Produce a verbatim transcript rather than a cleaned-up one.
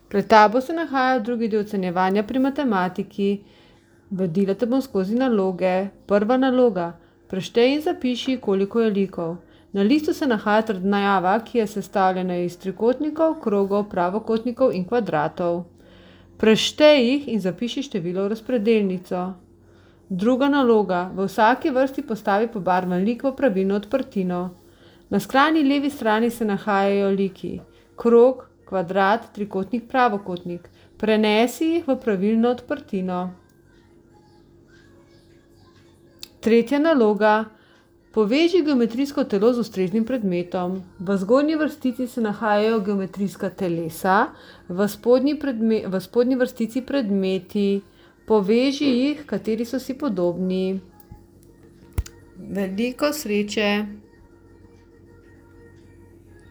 Pred tabo se nahaja drugi del ocenjevanja pri matematiki. Vodila te bom skozi naloge. Prva naloga. Preštej in zapiši, koliko je likov. Na listu se nahaja trdnjava, ki je sestavljena iz trikotnikov, krogov, pravokotnikov in kvadratov. Preštej jih in zapiši število v razpredelnico. Druga naloga. V vsaki vrsti postavi pobarvan lik v pravilno odprtino. Na skrajni levi strani se nahajajo liki. Krog, kvadrat, trikotnik, pravokotnik. Prenesi jih v pravilno odprtino. Tretja naloga. Poveži geometrijsko telo z ustreznim predmetom. V zgornji vrstici se nahajajo geometrijska telesa, v spodnji, predme, v spodnji vrstici predmeti. Poveži jih, kateri so si podobni. Veliko sreče!